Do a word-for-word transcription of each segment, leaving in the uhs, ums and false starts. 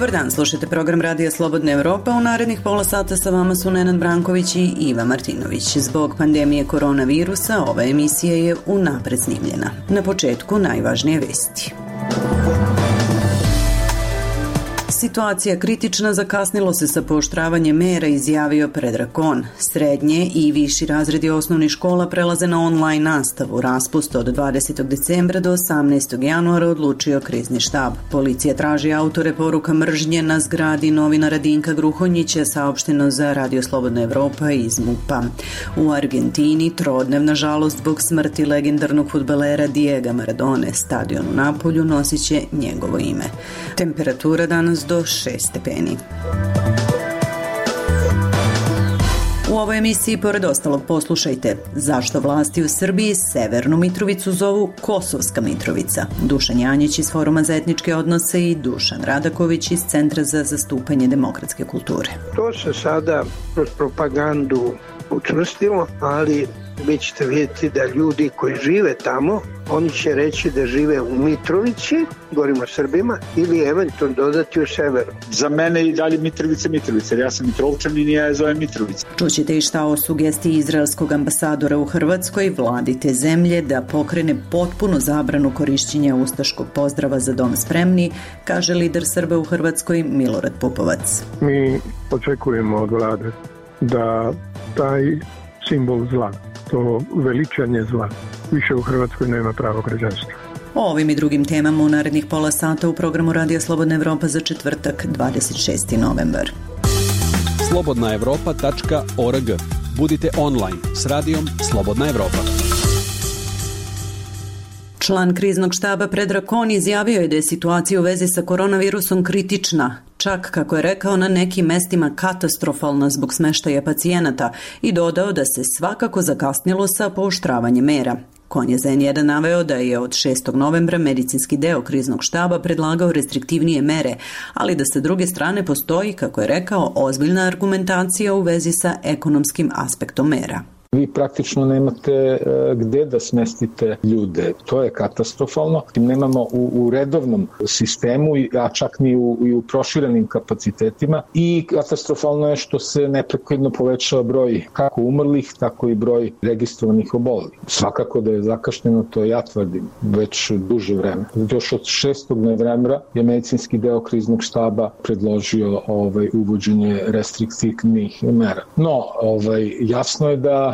Dobar dan, slušajte program Radija Slobodna Evropa. U narednih pola sata sa vama su Nenad Branković i Iva Martinović. Zbog pandemije koronavirusa ova emisija je unapred snimljena. Na početku najvažnije vesti. Situacija kritična, zakasnilo se sa pooštravanjem mera, izjavio Predrag Kon. Srednje i viši razredi osnovnih škola prelaze na online nastavu. Raspust od dvadesetog decembra do osamnaestog januara odlučio krizni štab. Policija traži autore poruka mržnje na zgradi novinara Dinka Gruhonjića, saopšteno za Radio Slobodna Evropa iz MUP-a. U Argentini trodnevna žalost zbog smrti legendarnog fudbalera Diega Maradone. Stadion u Napolju nosit će njegovo ime. Temperatura danas do šest stepeni. U ovoj emisiji, pored ostalog, poslušajte zašto vlasti u Srbiji Severnu Mitrovicu zovu Kosovska Mitrovica. Dušan Janjić iz Foruma za etničke odnose i Dušan Radaković iz Centra za zastupanje demokratske kulture. To se sada kroz propagandu učvrstilo, ali vi ćete vidjeti da ljudi koji žive tamo, oni će reći da žive u Mitrovici, govorimo o Srbima, ili eventualno dodati u severu. Za mene i dalje Mitrovica Mitrovica, jer ja sam Mitrovčan i ja je zovem Mitrovica. Čućete i šta o sugestiji izraelskog ambasadora u Hrvatskoj, vladi te zemlje da pokrene potpunu zabranu korišćenja ustaškog pozdrava Za dom spremni, kaže lider Srba u Hrvatskoj Milorad Pupovac. Mi očekujemo od vlade da taj simbol zla, to veličanje zla, više u Hrvatskoj nema pravo građanstva. O ovim i drugim temama u narednih pola sata u programu Radija Slobodna Evropa za četvrtak, dvadeset šesti novembar. slobodna evropa tačka org. Budite online s Radijom Slobodna Evropa. Član kriznog štaba Predrag Kon izjavio je da je situacija u vezi sa koronavirusom kritična, čak, kako je rekao, na nekim mestima katastrofalna zbog smeštaja pacijenata, i dodao da se svakako zakasnilo sa pooštravanjem mera. Kon je za en jedan naveo da je od šestog novembra medicinski deo kriznog štaba predlagao restriktivnije mere, ali da sa druge strane postoji, kako je rekao, ozbiljna argumentacija u vezi sa ekonomskim aspektom mera. Vi praktično nemate gde da smestite ljude. To je katastrofalno. Nemamo u, u redovnom sistemu, a čak ni u, i u proširenim kapacitetima. I katastrofalno je što se neprekidno povećava broj kako umrlih, tako i broj registrovanih obolelih. Svakako da je zakašnjeno, to ja tvrdim, već duže vreme. Još od šestog novembra je medicinski deo kriznog štaba predložio ovaj, uvođenje restriktivnih mera. No, ovaj, jasno je da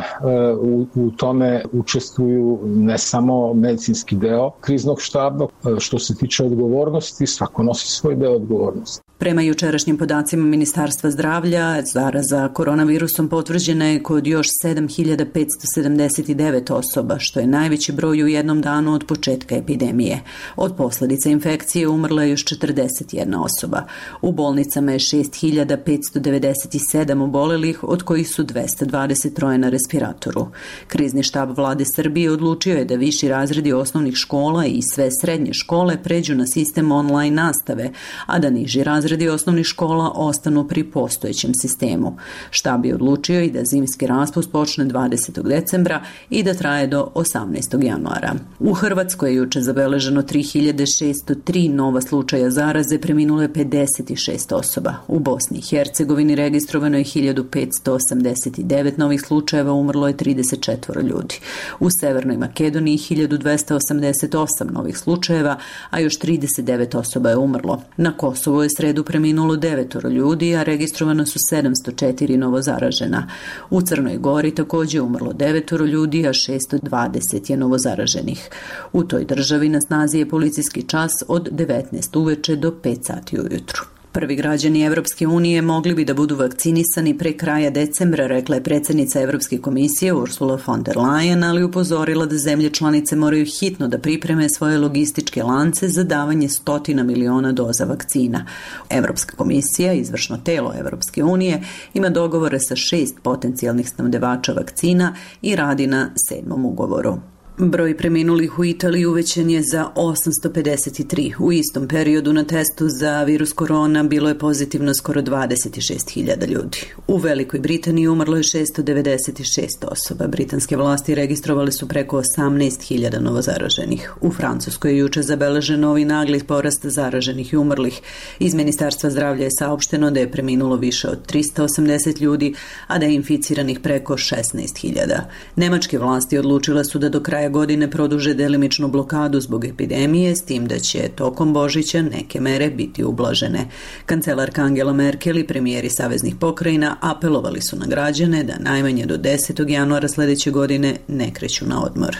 U, u tome učestvuju ne samo medicinski deo kriznog štaba. Što se tiče odgovornosti, svako nosi svoj deo odgovornosti. Prema jučerašnjim podacima Ministarstva zdravlja, zaraza koronavirusom potvrđena je kod još sedam hiljada petsto sedamdeset devet osoba, što je najveći broj u jednom danu od početka epidemije. Od posljedica infekcije umrla je još četrdeset jedna osoba. U bolnicama je šest hiljada petsto devedeset sedam obolelih, od kojih su dvesta dvadeset tri na respiratoru. Krizni štab vlade Srbije odlučio je da viši razredi osnovnih škola i sve srednje škole pređu na sistem online nastave, a da niži razredi Razredi osnovnih škola ostanu pri postojećem sistemu. Štab je odlučio i da zimski raspust počne dvadesetog decembra i da traje do osamnaestog januara. U Hrvatskoj je juče zabeleženo tri hiljade šesto tri nova slučaja zaraze, preminulo je pedeset šest osoba. U Bosni i Hercegovini registrovano je hiljadu petsto osamdeset devet novih slučajeva, umrlo je trideset četiri ljudi. U Severnoj Makedoniji hiljadu dvesta osamdeset osam novih slučajeva, a još trideset devet osoba je umrlo. Na Kosovu je sredu preminulo devetoro ljudi, a registrovano su sedamsto četiri novo zaražena. U Crnoj Gori također je umrlo devetoro ljudi, a šesto dvadeset je novo zaraženih. U toj državi na snazi je policijski čas od devetnaest uveče do pet sati ujutru. Prvi građani Evropske unije mogli bi da budu vakcinisani pre kraja decembra, rekla je predsjednica Evropske komisije Ursula von der Leyen, ali upozorila da zemlje članice moraju hitno da pripreme svoje logističke lance za davanje stotina miliona doza vakcina. Evropska komisija, izvršno telo Evropske unije, ima dogovore sa šest potencijalnih snabdevača vakcina i radi na sedmom ugovoru. Broj preminulih u Italiji uvećan je za osamsto pedeset tri. U istom periodu na testu za virus korona bilo je pozitivno skoro dvadeset šest hiljada ljudi. U Velikoj Britaniji umrlo je šesto devedeset šest osoba. Britanske vlasti registrovali su preko osamnaest hiljada novozaraženih. U Francuskoj je juče zabeležen novi nagli porast zaraženih i umrlih. Iz Ministarstva zdravlja je saopšteno da je preminulo više od trista osamdeset ljudi, a da je inficiranih preko šesnaest hiljada. Nemačke vlasti odlučile su da do kraja godine produže delimičnu blokadu zbog epidemije, s tim da će tokom Božića neke mere biti ublažene. Kancelarka Angela Merkel i premijeri saveznih pokrajina apelovali su na građane da najmanje do desetog januara sledeće godine ne kreću na odmor.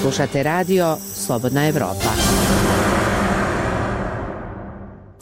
Slušate radio Slobodna Evropa.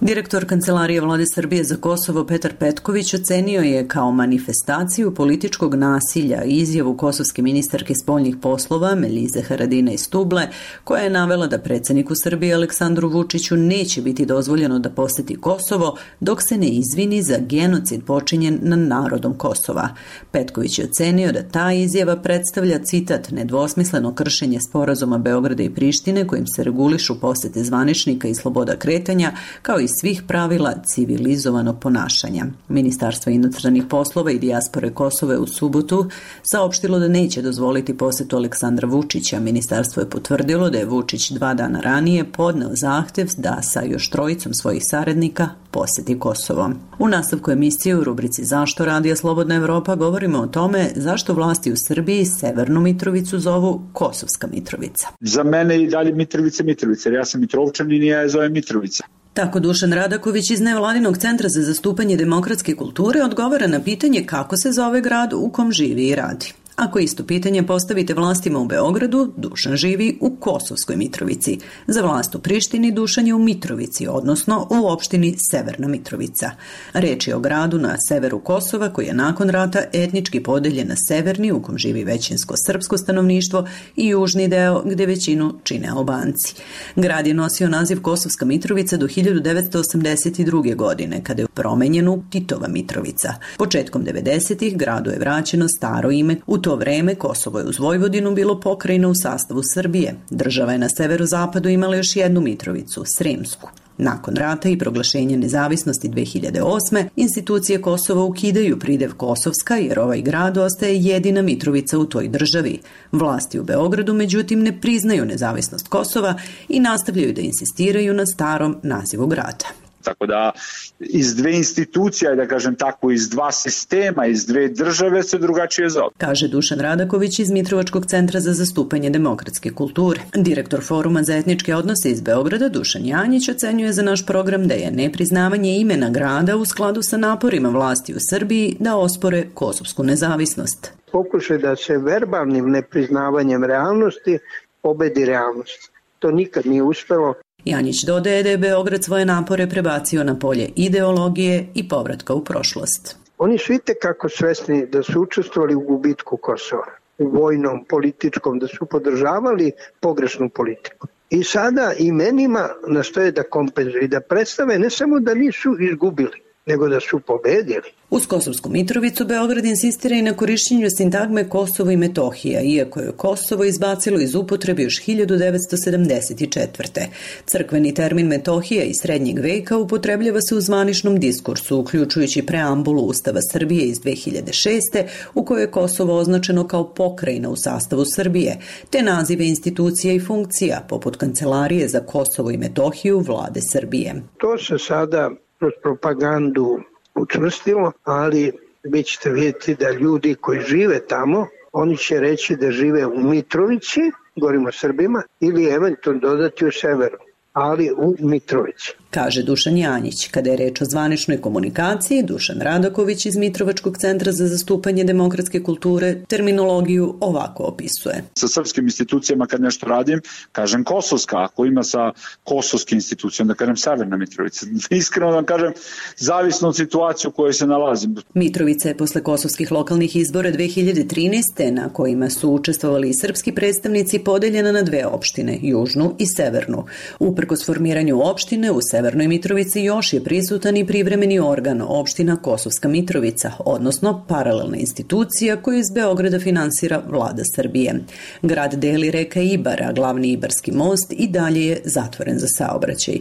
Direktor Kancelarije Vlade Srbije za Kosovo Petar Petković ocenio je kao manifestaciju političkog nasilja izjavu kosovske ministarke spoljnih poslova Melize Haradinaj Stuble, koja je navela da predsjedniku Srbije Aleksandru Vučiću neće biti dozvoljeno da poseti Kosovo dok se ne izvini za genocid počinjen nad narodom Kosova. Petković je ocenio da ta izjava predstavlja, citat, nedvosmisleno kršenje sporazuma Beograda i Prištine kojim se regulišu posete zvaničnika i sloboda kretanja, kao i svih pravila civilizovanog ponašanja. Ministarstvo inostranih poslova i dijaspore Kosova je u subotu saopštilo da neće dozvoliti posetu Aleksandra Vučića. Ministarstvo je potvrdilo da je Vučić dva dana ranije podneo zahtev da sa još trojicom svojih saradnika poseti Kosovo. U nastavku emisije u rubrici Zašto radija Slobodna Evropa govorimo o tome zašto vlasti u Srbiji Severnu Mitrovicu zovu Kosovska Mitrovica. Za mene i dalje Mitrovica Mitrovica, jer ja sam Mitrovčanin i ja je zovem Mitrovica. Tako Dušan Radaković iz Nevladinog centra za zastupanje demokratske kulture odgovara na pitanje kako se zove grad u kom živi i radi. Ako isto pitanje postavite vlastima u Beogradu, Dušan živi u Kosovskoj Mitrovici. Za vlast u Prištini Dušan je u Mitrovici, odnosno u opštini Severna Mitrovica. Reč je o gradu na severu Kosova koji je nakon rata etnički podeljen na severni, u kom živi većinsko srpsko stanovništvo, i južni deo gde većinu čine Albanci. Grad je nosio naziv Kosovska Mitrovica do hiljadu devetsto osamdeset druge. godine, kada je promenjen u Titova Mitrovica. Početkom devedesetih gradu je vraćeno staro ime. U to vreme Kosovo je uz Vojvodinu bilo pokrajina u sastavu Srbije. Država je na severozapadu imala još jednu Mitrovicu, Sremsku. Nakon rata i proglašenja nezavisnosti dve hiljade osme. institucije Kosova ukidaju pridev Kosovska jer ovaj grad ostaje jedina Mitrovica u toj državi. Vlasti u Beogradu međutim ne priznaju nezavisnost Kosova i nastavljaju da insistiraju na starom nazivu grada. Tako da iz dve institucija, da kažem tako, iz dva sistema, iz dve države se drugačije zove. Kaže Dušan Radaković iz Mitrovačkog centra za zastupanje demokratske kulture. Direktor Foruma za etničke odnose iz Beograda Dušan Janjić ocenjuje za naš program da je nepriznavanje imena grada u skladu sa naporima vlasti u Srbiji da ospore kosovsku nezavisnost. Pokušaj da se verbalnim nepriznavanjem realnosti pobedi realnost. To nikad nije uspelo. Janjić dodaje da je Beograd svoje napore prebacio na polje ideologije i povratka u prošlost. Oni su itekako svesni da su učestvovali u gubitku Kosova, u vojnom, političkom, da su podržavali pogrešnu politiku. I sada imenima nastoje da kompenzuju i da predstave ne samo da nisu izgubili, nego da su pobedili. Uz Kosovsku Mitrovicu Beograd insistira i na korišćenju sintagme Kosovo i Metohija, iako je Kosovo izbacilo iz upotrebe još hiljadu devetsto sedamdeset četvrte. Crkveni termin Metohija iz srednjeg veka upotrebljava se u zvaničnom diskursu, uključujući preambulu Ustava Srbije iz dve hiljade šeste. u kojoj je Kosovo označeno kao pokrajina u sastavu Srbije, te nazive institucija i funkcija, poput Kancelarije za Kosovo i Metohiju Vlade Srbije. To se sada kroz propagandu učvrstilo, ali vi ćete vidjeti da ljudi koji žive tamo, oni će reći da žive u Mitrovici, govorimo o Srbima, ili eventualno dodati u severu, ali u Mitrovici. Kaže Dušan Janjić. Kada je reč o zvaničnoj komunikaciji, Dušan Radaković iz Mitrovačkog centra za zastupanje demokratske kulture terminologiju ovako opisuje. Sa srpskim institucijama kad nešto radim, kažem Kosovska, ako ima sa kosovskim institucijom, da kažem Severna Mitrovica. Iskreno da kažem, zavisno od situacije u kojoj se nalazim. Mitrovica je posle kosovskih lokalnih izbora dve hiljade trinaeste. na kojima su učestvovali i srpski predstavnici podeljena na dve opštine, južnu i severnu. U Uprkos formiranju opštine, u Severnoj Mitrovici još je prisutan i privremeni organ opština Kosovska Mitrovica, odnosno paralelna institucija koju iz Beograda finansira vlada Srbije. Grad deli reka Ibar, a glavni Ibarski most i dalje je zatvoren za saobraćaj.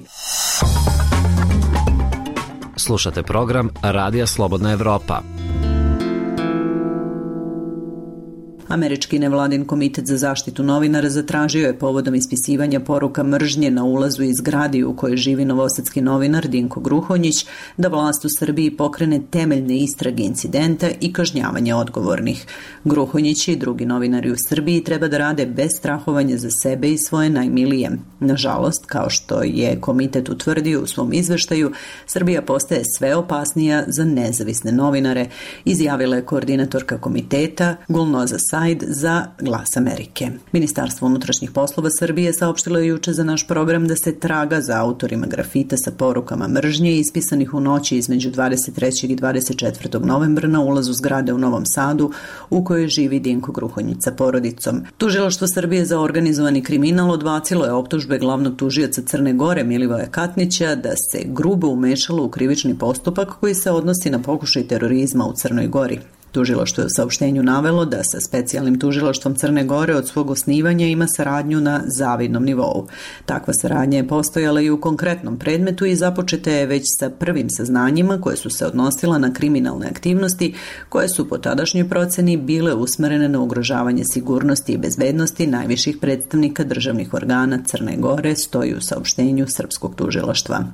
Slušate program Radija Slobodna Evropa. Američki nevladin komitet za zaštitu novinara zatražio je povodom ispisivanja poruka mržnje na ulazu iz zgradi u kojoj živi novosadski novinar Dinko Gruhonjić da vlast u Srbiji pokrene temeljne istrage incidenta i kažnjavanje odgovornih. Gruhonjić i drugi novinari u Srbiji treba da rade bez strahovanja za sebe i svoje najmilije. Nažalost, kao što je komitet utvrdio u svom izveštaju, Srbija postaje sve opasnija za nezavisne novinare, izjavila je koordinatorka komiteta Gulnoza Said za Glas Amerike. Ministarstvo unutrašnjih poslova Srbije saopštilo je juče za naš program da se traga za autorima grafita sa porukama mržnje ispisanih u noći između dvadeset trećeg i dvadeset četvrtog novembra na ulazu zgrade u Novom Sadu u kojoj živi Dinko Gruhonjić sa porodicom. Tužilaštvo Srbije za organizovani kriminal odbacilo je optužbe glavnog tužioca Crne Gore Milivoja Katnića da se grubo umešalo u krivični postupak koji se odnosi na pokušaj terorizma u Crnoj Gori. Tužilaštvo je u saopštenju navelo da sa specijalnim tužilaštvom Crne Gore od svog osnivanja ima saradnju na zavidnom nivou. Takva saradnja je postojala i u konkretnom predmetu i započeta je već sa prvim saznanjima koje su se odnosila na kriminalne aktivnosti koje su po tadašnjoj proceni bile usmerene na ugrožavanje sigurnosti i bezbednosti najviših predstavnika državnih organa Crne Gore, stoji u saopštenju srpskog tužilaštva.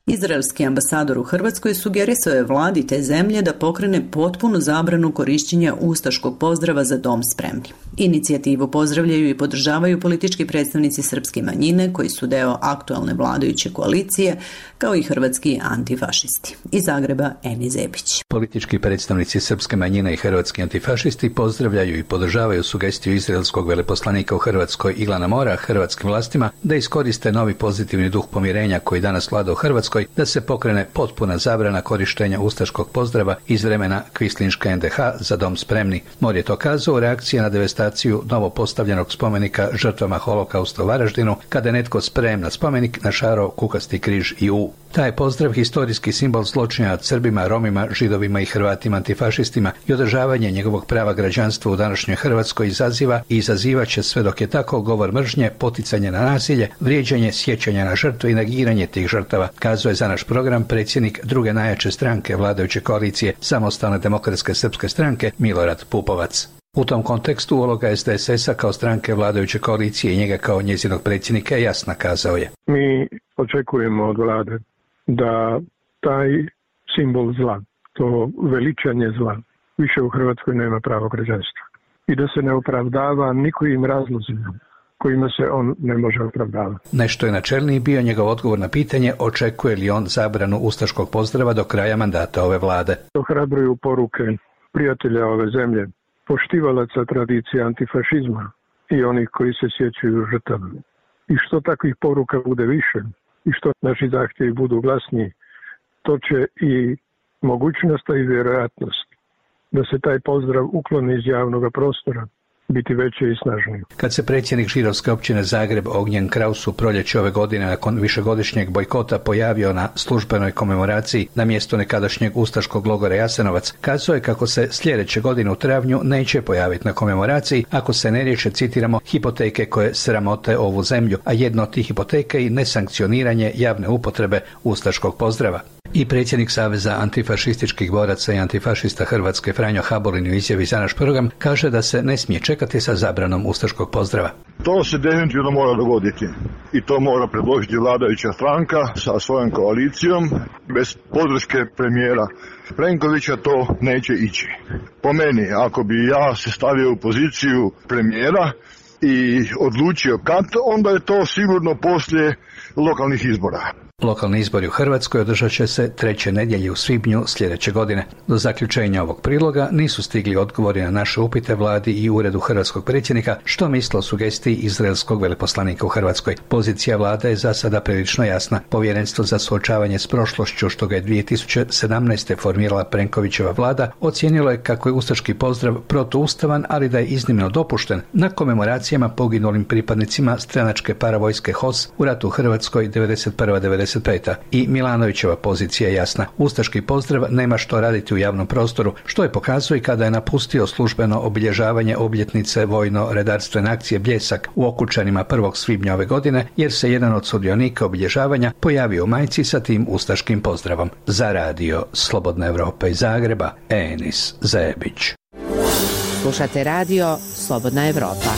Izraelski ambasador u Hrvatskoj sugerisao je vladi te zemlje da pokrene potpunu zabranu korišćenja ustaškog pozdrava Za dom spremni. Inicijativu pozdravljaju i podržavaju politički predstavnici srpske manjine koji su deo aktualne vladajuće koalicije, kao i hrvatski antifašisti. Iz Zagreba Eni Zebić. Politički predstavnici srpske manjine i hrvatski antifašisti pozdravljaju i podržavaju sugestiju izraelskog veleposlanika u Hrvatskoj Ilana Mora hrvatskim vlastima da iskoriste novi pozitivni duh pomirenja koji danas vlada u Hrvatskoj da se pokrene potpuna zabrana korištenja ustaškog pozdrava iz vremena kvislinške en de ha Za dom spremni. Mor je to kazao u reakciji na devastaciju novo postavljenog spomenika žrtvama holokausta u Varaždinu, kada je netko sprem na spomenik našarao kukasti križ i U. Taj pozdrav historijski simbol zločina nad Srbima, Romima, Židovima i Hrvatima antifašistima i održavanje njegovog prava građanstva u današnjoj Hrvatskoj izaziva i izazivaće sve dok je tako govor mržnje, poticanje na nasilje, vrijeđanje, sjećanje na žrtve i negiranje tih žrtava, kazuje za naš program predsjednik druge najjače stranke vladajuće koalicije Samostalne demokratske srpske stranke Milorad Pupovac. U tom kontekstu uloga es de es es-a kao stranke vladajuće koalicije i njega kao njezinog predsjednika je jasna, kazao je. Mi očekujemo od vlade da taj simbol zla, to veličanje zla, više u Hrvatskoj nema pravo građanstva. I da se ne opravdava nikojim razlozima kojima se on ne može opravdavati. Nešto je načelniji bio njegov odgovor na pitanje očekuje li on zabranu ustaškog pozdrava do kraja mandata ove vlade. Ohrabruju poruke prijatelja ove zemlje, poštivalaca tradicije antifašizma i onih koji se sjećaju žrtava. I što takvih poruka bude više i što naši zahtjevi budu glasniji, to će i mogućnost i vjerojatnost da se taj pozdrav ukloni iz javnog prostora biti veće i snažnije. Kad se predsjednik židovske općine Zagreb Ognjen Kraus u proljeće ove godine nakon višegodišnjeg bojkota pojavio na službenoj komemoraciji na mjestu nekadašnjeg ustaškog logora Jasenovac, kazao je kako se sljedeće godine u travnju neće pojaviti na komemoraciji ako se ne riješe, citiramo, hipoteke koje sramote ovu zemlju, a jedno od tih hipoteka i nesankcioniranje javne upotrebe ustaškog pozdrava. I predsjednik Saveza antifašističkih boraca i antifašista Hrvatske Franjo Habolin u izjavi za naš program kaže da se ne smije čekati sa zabranom ustaškog pozdrava. To se definitivno mora dogoditi i to mora predložiti vladajuća stranka sa svojom koalicijom. Bez podrške premijera Plenkovića to neće ići. Po meni, ako bi ja se stavio u poziciju premijera i odlučio kad, onda je to sigurno poslije lokalnih izbora. Lokalni izbori u Hrvatskoj održat će se treće nedjelje u svibnju sljedeće godine. Do zaključenja ovog priloga nisu stigli odgovori na naše upite vladi i uredu hrvatskog predsjednika što misle o sugestiji izraelskog veleposlanika u Hrvatskoj. Pozicija vlade je za sada prilično jasna. Povjerenstvo za suočavanje s prošlošću, što ga je dvije tisuće sedamnaeste formirala Plenkovićeva vlada, ocijenilo je kako je ustaški pozdrav protuustavan, ali da je iznimno dopušten na komemoracijama poginulim pripadnicima stranačke paravojske H O S u ratu u Hrvatskoj devedeset prva do devedeset peta. I Milanovićeva pozicija je jasna. Ustaški pozdrav nema što raditi u javnom prostoru, što je pokazuje kada je napustio službeno obilježavanje obljetnice vojno-redarstvene akcije Bljesak u Okučanima prvog svibnja ove godine, jer se jedan od sudionika obilježavanja pojavio u majici sa tim ustaškim pozdravom. Za radio Slobodna Evropa iz Zagreba, Enis Zebić. Slušate radio Slobodna Evropa.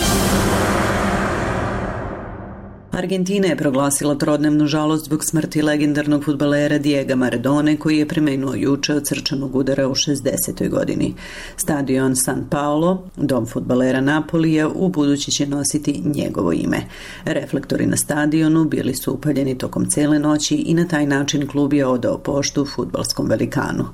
Argentina je proglasila trodnevnu žalost zbog smrti legendarnog fudbalera Diega Maradone, koji je preminuo juče od srčanog udara u šezdesetoj godini. Stadion San Paolo, dom fudbalera Napolija, u budući će nositi njegovo ime. Reflektori na stadionu bili su upaljeni tokom cele noći i na taj način klub je odao poštu fudbalskom velikanu.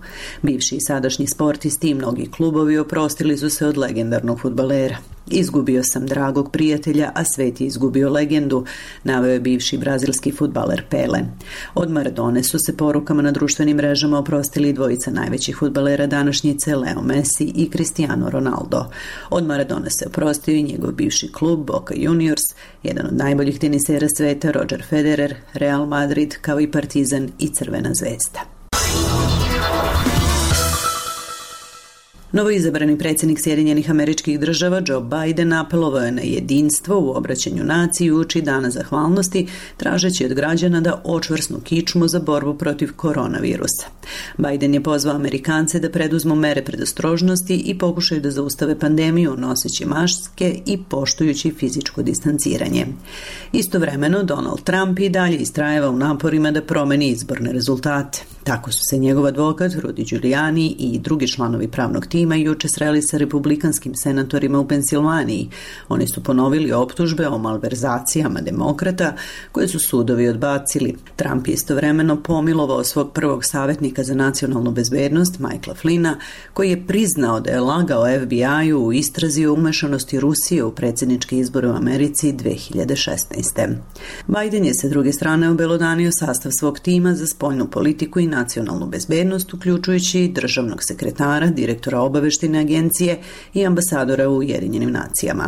Bivši i sadašnji sportisti i mnogi klubovi oprostili su se od legendarnog fudbalera. Izgubio sam dragog prijatelja, a svet je izgubio legendu, naveo je bivši brazilski fudbaler Pele. Od Maradone su se porukama na društvenim mrežama oprostili dvojica najvećih fudbalera današnjice, Leo Messi i Cristiano Ronaldo. Od Maradone se oprostio i njegov bivši klub Boca Juniors, jedan od najboljih tenisera sveta Roger Federer, Real Madrid, kao i Partizan i Crvena zvezda. Novoizabrani predsjednik Sjedinjenih Američkih Država Joe Biden apelovao je na jedinstvo u obraćanju naciji uoči Dana zahvalnosti, tražeći od građana da očvrsnu kičmu za borbu protiv koronavirusa. Biden je pozvao Amerikance da preduzmu mere predostrožnosti i pokušaju da zaustave pandemiju noseći maske i poštujući fizičko distanciranje. Istovremeno, Donald Trump i dalje istrajeva u naporima da promeni izborne rezultate. Tako su se njegov advokat Rudy Giuliani i drugi članovi pravnog tima juče sreli sa republikanskim senatorima u Pensilvaniji. Oni su ponovili optužbe o malverzacijama demokrata koje su sudovi odbacili. Trump je istovremeno pomilovao svog prvog savjetnika za nacionalnu bezbednost, Michaela Flynna, koji je priznao da je lagao F B I-u u istrazi o umešanosti Rusije u predsjedničke izbore u Americi dve hiljade šesnaeste. Biden je sa druge strane obelodanio sastav svog tima za spoljnu politiku i nacionalnu bezbednost, uključujući državnog sekretara, direktora obaveštajne agencije i ambasadora u Ujedinjenim nacijama.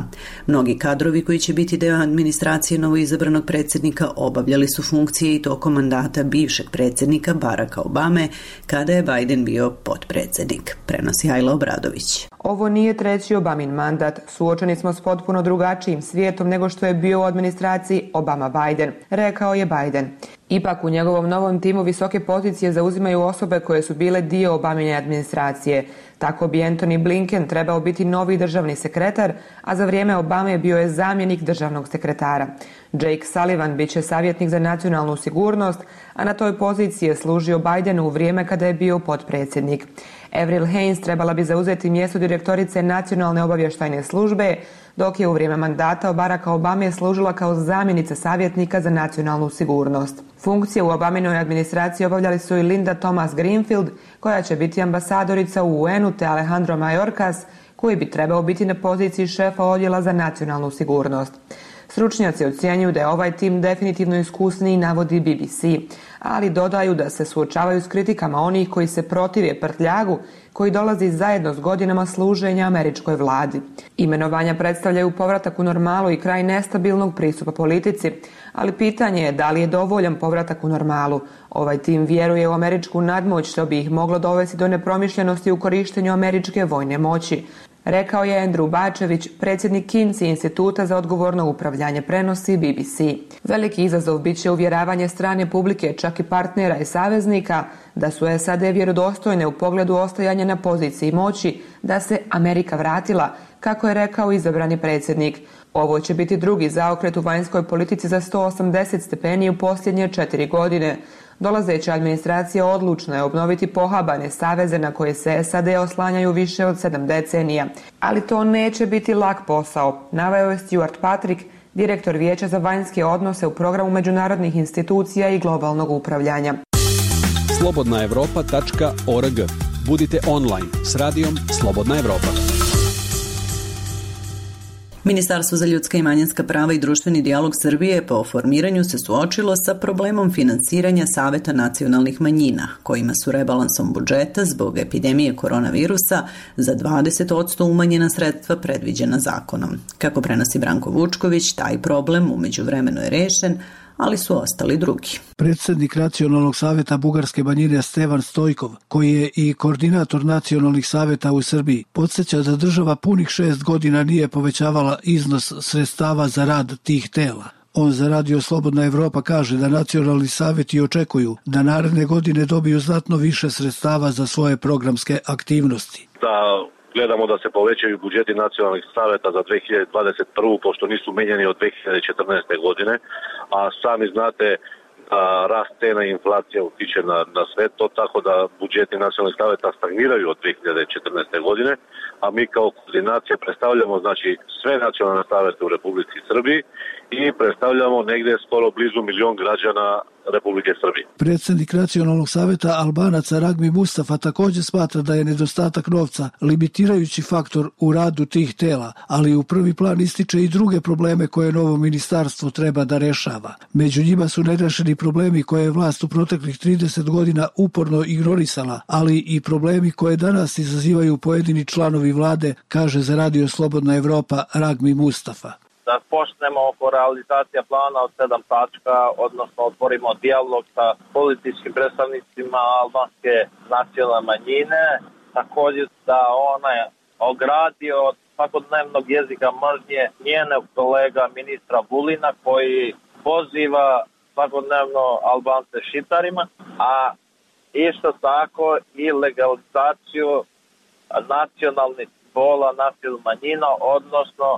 Mnogi kadrovi koji će biti deo administracije novoizabranog predsjednika obavljali su funkcije i tokom mandata bivšeg predsjednika Baracka Obame, kada je Biden bio potpredsjednik. Prenosi Ajla Obradović. Ovo nije treći Obamin mandat. Suočeni smo s potpuno drugačijim svijetom nego što je bio u administraciji Obama-Biden, rekao je Biden. Ipak u njegovom novom timu visoke pozicije zauzimaju osobe koje su bile dio Obamine administracije. Tako bi Antony Blinken trebao biti novi državni sekretar, a za vrijeme Obame bio je zamjenik državnog sekretara. Jake Sullivan bit će savjetnik za nacionalnu sigurnost, a na toj poziciji je služio Bidenu u vrijeme kada je bio potpredsjednik. Avril Haines trebala bi zauzeti mjesto direktorice nacionalne obavještajne službe, dok je u vrijeme mandata Baracka Obame služila kao zamjenica savjetnika za nacionalnu sigurnost. Funkcije u Obaminoj administraciji obavljali su i Linda Thomas Greenfield, koja će biti ambasadorica u U N-u, te Alejandro Mayorkas, koji bi trebao biti na poziciji šefa odjela za nacionalnu sigurnost. Stručnjaci ocjenjuju da je ovaj tim definitivno iskusniji, navodi B B C, ali dodaju da se suočavaju s kritikama onih koji se protive prtljagu koji dolazi zajedno s godinama služenja američkoj vladi. Imenovanja predstavljaju povratak u normalu i kraj nestabilnog pristupa politici, ali pitanje je da li je dovoljan povratak u normalu. Ovaj tim vjeruje u američku nadmoć, što bi ih moglo dovesti do nepromišljenosti u korištenju američke vojne moći. Rekao je Andrew Bačević, predsjednik Kinsey instituta za odgovorno upravljanje, prenosi B B C. Veliki izazov bit će uvjeravanje strane publike, čak i partnera i saveznika, da su S A D vjerodostojne u pogledu ostajanja na poziciji moći, da se Amerika vratila, kako je rekao izabrani predsjednik. Ovo će biti drugi zaokret u vanjskoj politici za sto osamdeset stepeni u posljednje četiri godine. Dolazeća administracija odlučna je obnoviti pohabane saveze na koje se S A D oslanjaju više od sedam decenija. Ali to neće biti lak posao, naveo je Stuart Patrick, direktor Vijeća za vanjske odnose u programu međunarodnih institucija i globalnog upravljanja. slobodna evropa tačka org. Budite online s radijom Slobodna Evropa. Ministarstvo za ljudska i manjinska prava i društveni dijalog Srbije po formiranju se suočilo sa problemom finansiranja Saveta nacionalnih manjina, kojima su rebalansom budžeta zbog epidemije koronavirusa za dvadeset posto umanjena sredstva predviđena zakonom. Kako prenosi Branko Vučković, taj problem umeđu vremenu je rešen, ali su ostali drugi. Predsjednik Nacionalnog saveta bugarske manjine Stevan Stojkov, koji je i koordinator nacionalnih saveta u Srbiji, podsjeća da država punih šest godina nije povećavala iznos sredstava za rad tih tela. On za Radio Slobodna Evropa kaže da nacionalni saveti očekuju da naredne godine dobiju znatno više sredstava za svoje programske aktivnosti. Da gledamo da se povećaju budžeti nacionalnih saveta za dve hiljade dvadeset prvu. pošto nisu menjani od dve hiljade četrnaeste. godine, a sami znate da rast cena i inflacija utiče na, na sve to, tako da budžeti nacionalnih saveta stagniraju od dve hiljade četrnaeste. godine, a mi kao koordinacija predstavljamo znači sve nacionalne savete u Republici Srbiji i predstavljamo negde skoro blizu milion građana Republike Srbije. Predsjednik Nacionalnog saveta Albanaca Ragmi Mustafa također smatra da je nedostatak novca limitirajući faktor u radu tih tela, ali u prvi plan ističe i druge probleme koje novo ministarstvo treba da rešava. Među njima su nerešeni problemi koje je vlast u proteklih trideset godina uporno ignorisala, ali i problemi koje danas izazivaju pojedini članovi vlade, kaže za Radio Slobodna Evropa Ragmi Mustafa. Da počnemo oko realizacija plana od sedam tačka, odnosno otvorimo dijalog sa političkim predstavnicima albanske nacionalne manjine, također da ona je ogradio od svakodnevnog jezika mržnje njenog kolega ministra Vulina koji poziva svakodnevno Albance šiptarima, a isto tako i legalizaciju nacionalnih simbola nacionalnih manjina, odnosno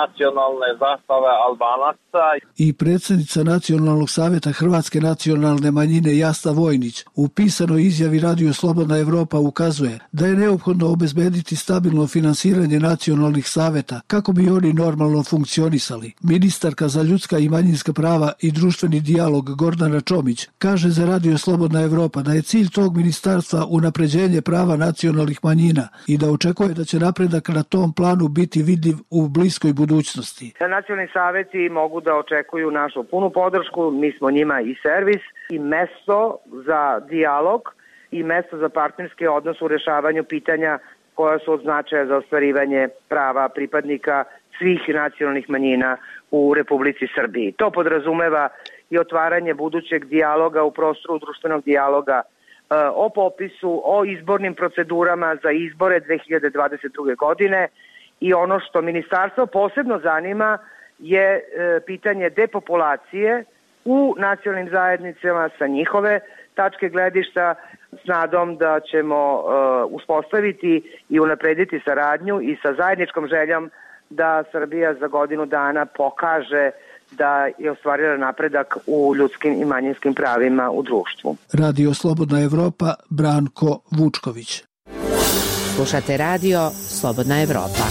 nacionalne zastave Albanaca. I predsjednica Nacionalnog saveta Hrvatske nacionalne manjine Jasna Vojnić u pisanoj izjavi Radio Slobodna Evropa ukazuje da je neophodno obezbediti stabilno finansiranje nacionalnih saveta kako bi oni normalno funkcionisali. Ministarka za ljudska i manjinska prava i društveni dijalog Gordana Čomić kaže za Radio Slobodna Evropa da je cilj tog ministarstva unapređenje prava nacionalnih manjina i da očekuje da će napredak na tom planu biti vidljiv u bliskoj budućnosti. Nacionalni saveti mogu da očekuju našu punu podršku, mi smo njima i servis i mesto za dijalog i mesto za partnerski odnos u rešavanju pitanja koja su od značaja za ostvarivanje prava pripadnika svih nacionalnih manjina u Republici Srbiji. To podrazumeva i otvaranje budućeg dijaloga u prostoru društvenog dijaloga o popisu, o izbornim procedurama za izbore dve hiljade dvadeset druge. godine i ono što ministarstvo posebno zanima je e, pitanje depopulacije u nacionalnim zajednicama sa njihove tačke gledišta s nadom da ćemo e, uspostaviti i unaprediti saradnju i sa zajedničkom željom da Srbija za godinu dana pokaže da je ostvarila napredak u ljudskim i manjinskim pravima u društvu. Radio Slobodna Evropa, Branko Vučković. Slušate radio Slobodna Evropa.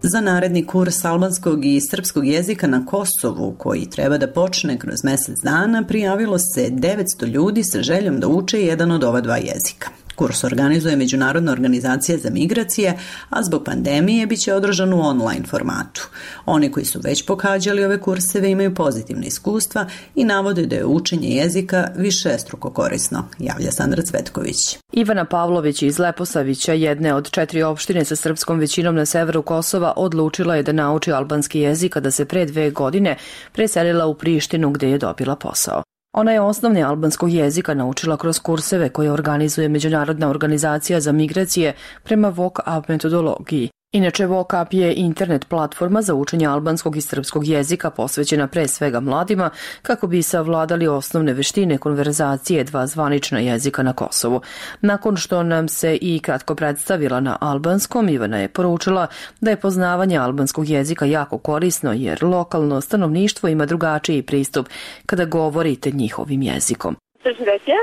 Za naredni kurs albanskog i srpskog jezika na Kosovu, koji treba da počne kroz mjesec dana, prijavilo se devetsto ljudi sa željom da uče jedan od ova dva jezika. Kurs organizuje Međunarodna organizacija za migracije, a zbog pandemije biće održan u online formatu. Oni koji su već pohađali ove kurseve imaju pozitivne iskustva i navode da je učenje jezika višestruko korisno, javlja Sandra Cvetković. Ivana Pavlović iz Leposavića, jedne od četiri opštine sa srpskom većinom na severu Kosova, odlučila je da nauči albanski jezik kada se pre dve godine preselila u Prištinu gde je dobila posao. Ona je osnovne albanskog jezika naučila kroz kurseve koje organizuje Međunarodna organizacija za migracije prema V O C A P metodologiji. Inače, V O C A P je internet platforma za učenje albanskog i srpskog jezika posvećena pre svega mladima kako bi savladali osnovne veštine konverzacije dva zvanična jezika na Kosovu. Nakon što nam se i kratko predstavila na albanskom, Ivana je poručila da je poznavanje albanskog jezika jako korisno jer lokalno stanovništvo ima drugačiji pristup kada govorite njihovim jezikom. Здравейте,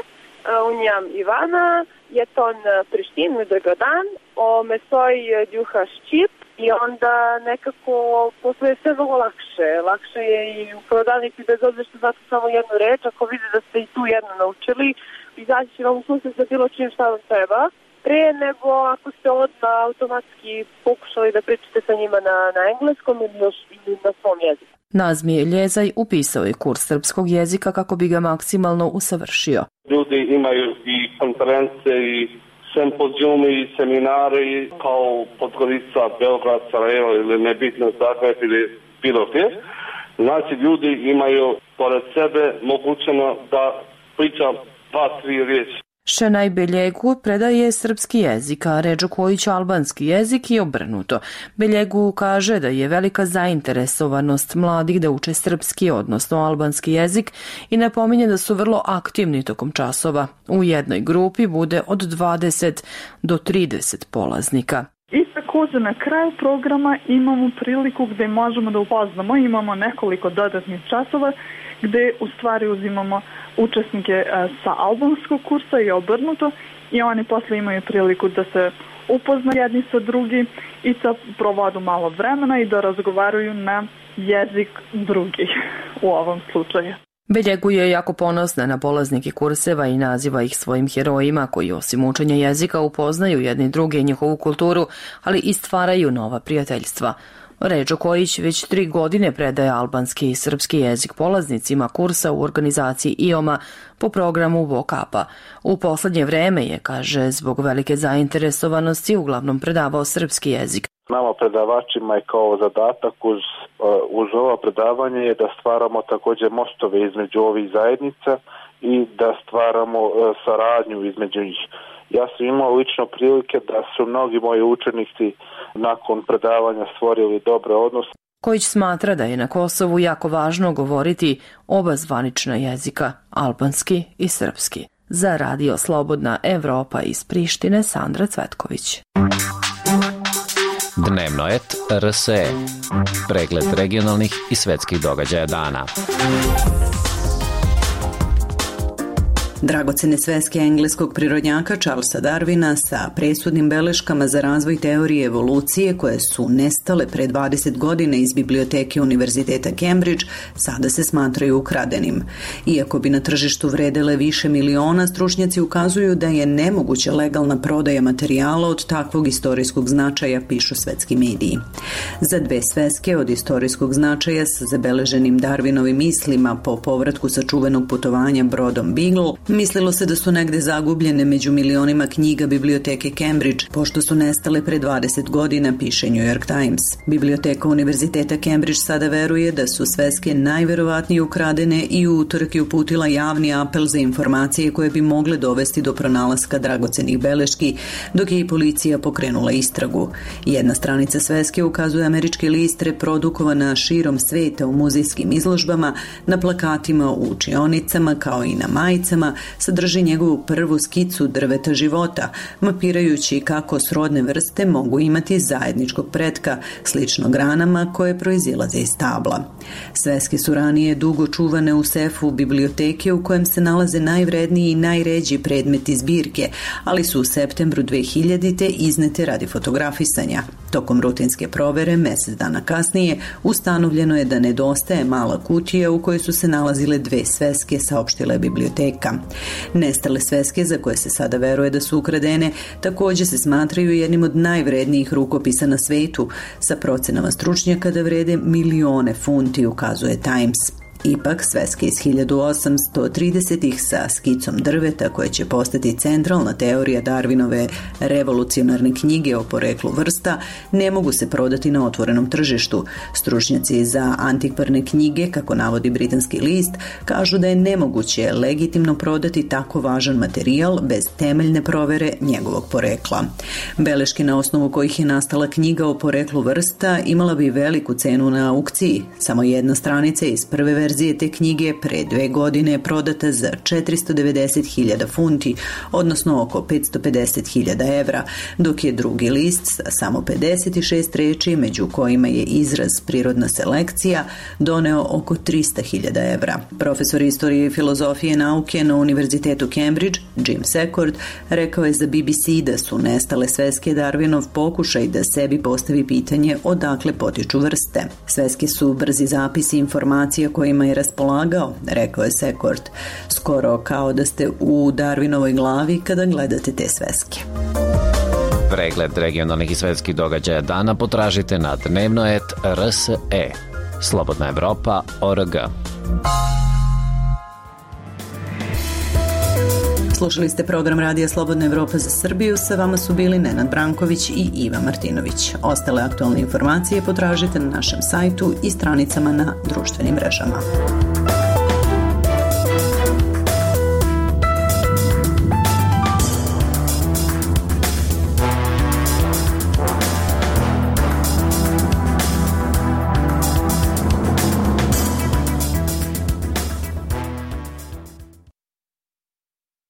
unjam Ivana, je ton Prištinu dogodan, o mesoj djuha Ščip i onda nekako postoje sve mnogo lakše. Lakše je i u prodavnici bez obzira što znate samo jednu reč, ako vide da ste i tu jednu naučili, izaći će vam u susret sa bilo čim šta vam treba, pre nego ako ste odmah automatski pokušali da pričate sa njima na, na engleskom ili još ili na svom jeziku. Nazmije Ljezaj upisao je kurs srpskog jezika kako bi ga maksimalno usavršio. Ljudi imaju i konference i sempozijumi i seminari kao Podgorica, Beograd, Sarajevo ili nebitno Zagreb ili bilo gdje. Znači ljudi imaju pored sebe mogućeno da priča dva, tri riječi. Šenaj Beljegu predaje srpski jezik, a Redžo Kojić albanski jezik i obrnuto. Beljegu kaže da je velika zainteresovanost mladih da uče srpski, odnosno albanski jezik i napominje da su vrlo aktivni tokom časova. U jednoj grupi bude od dvadeset do trideset polaznika. I također na kraju programa imamo priliku gdje možemo da upoznamo, imamo nekoliko dodatnih časova gdje u stvari uzimamo učesnike sa albanskog kursa i obrnuto i oni posle imaju priliku da se upoznaju jedni sa drugim i da provodu malo vremena i da razgovaraju na jezik drugih u ovom slučaju. Beljegu je jako ponosna na polaznike kurseva i naziva ih svojim herojima koji osim učenja jezika upoznaju jedni druge i njihovu kulturu, ali i stvaraju nova prijateljstva. Redžo Kojić već tri godine predaje albanski i srpski jezik polaznicima kursa u organizaciji I O M A po programu Vokapa. U poslednje vreme je, kaže, zbog velike zainteresovanosti uglavnom predavao srpski jezik. Nama predavačima je kao zadatak uz, uz ovo predavanje je da stvaramo također mostove između ovih zajednica i da stvaramo saradnju između njih. Ja sam imao lično prilike da su mnogi moji učenici nakon predavanja stvorili dobre odnose. Kojić smatra da je na Kosovu jako važno govoriti oba zvanična jezika, albanski i srpski. Za Radio Slobodna Evropa iz Prištine, Sandra Cvetković. Dnevno et R S E. Pregled regionalnih i svetskih događaja dana. Dragocene sveske engleskog prirodnjaka Charlesa Darwina sa presudnim beleškama za razvoj teorije evolucije koje su nestale pre dvadeset godina iz biblioteke Univerziteta Cambridge sada se smatraju ukradenim. Iako bi na tržištu vredele više miliona, stručnjaci ukazuju da je nemoguća legalna prodaja materijala od takvog istorijskog značaja, pišu svetski mediji. Za dve sveske od istorijskog značaja sa zabeleženim Darwinovim mislima po povratku sa čuvenog putovanja brodom Beagle, mislilo se da su negde zagubljene među milionima knjiga biblioteke Cambridge, pošto su nestale pre dvadeset godina, piše New York Times. Biblioteka Univerziteta Cambridge sada veruje da su sveske najverovatnije ukradene i u utorak je uputila javni apel za informacije koje bi mogle dovesti do pronalaska dragocenih beleški, dok je i policija pokrenula istragu. Jedna stranica sveske ukazuje američki list reprodukovana širom sveta u muzejskim izložbama, na plakatima u učionicama kao i na majicama, sadrži njegovu prvu skicu drveta života, mapirajući kako srodne vrste mogu imati zajedničkog pretka, slično granama koje proizilaze iz stabla. Sveske su ranije dugo čuvane u sefu biblioteke u kojem se nalaze najvredniji i najređi predmeti zbirke, ali su u septembru dve hiljadite iznete radi fotografisanja. Tokom rutinske provere, mesec dana kasnije, ustanovljeno je da nedostaje mala kutija u kojoj su se nalazile dve sveske, saopštila je biblioteka. Nestale sveske, za koje se sada veruje da su ukradene, također se smatraju jednim od najvrednijih rukopisa na svetu, sa procenama stručnjaka da vrede milione funti, ukazuje Times. Ipak, sveske iz hiljadu osamsto tridesetih sa skicom drveta koje će postati centralna teorija Darwinove revolucionarne knjige o poreklu vrsta ne mogu se prodati na otvorenom tržištu. Stručnjaci za antikvarne knjige, kako navodi britanski list, kažu da je nemoguće legitimno prodati tako važan materijal bez temeljne provere njegovog porekla. Beleške na osnovu kojih je nastala knjiga o poreklu vrsta imala bi veliku cenu na aukciji. Samo jedna stranica iz prve verzije verzije te knjige pre dve godine je prodata za četiristo devedeset hiljada funti, odnosno oko petsto pedeset hiljada evra, dok je drugi list sa samo pedeset šest reči, među kojima je izraz prirodna selekcija, doneo oko trista hiljada evra. Profesor istorije i filozofije nauke na Univerzitetu Cambridge, Jim Secord, rekao je za B B C da su nestale sveske Darwinov pokušaj da sebi postavi pitanje odakle potiču vrste. Sveske su brzi zapisi informacija kojima je raspolagao, rekao je Secord, skoro kao da ste u Darwinovoj glavi kada gledate te sveske. Pregled regionalnih i svetskih događaja dana potražite na dnevno et r s e. Slobodna Evropa tačka org. Slušali ste program Radija Slobodna Evropa za Srbiju, sa vama su bili Nenad Branković i Iva Martinović. Ostale aktualne informacije potražite na našem sajtu i stranicama na društvenim mrežama.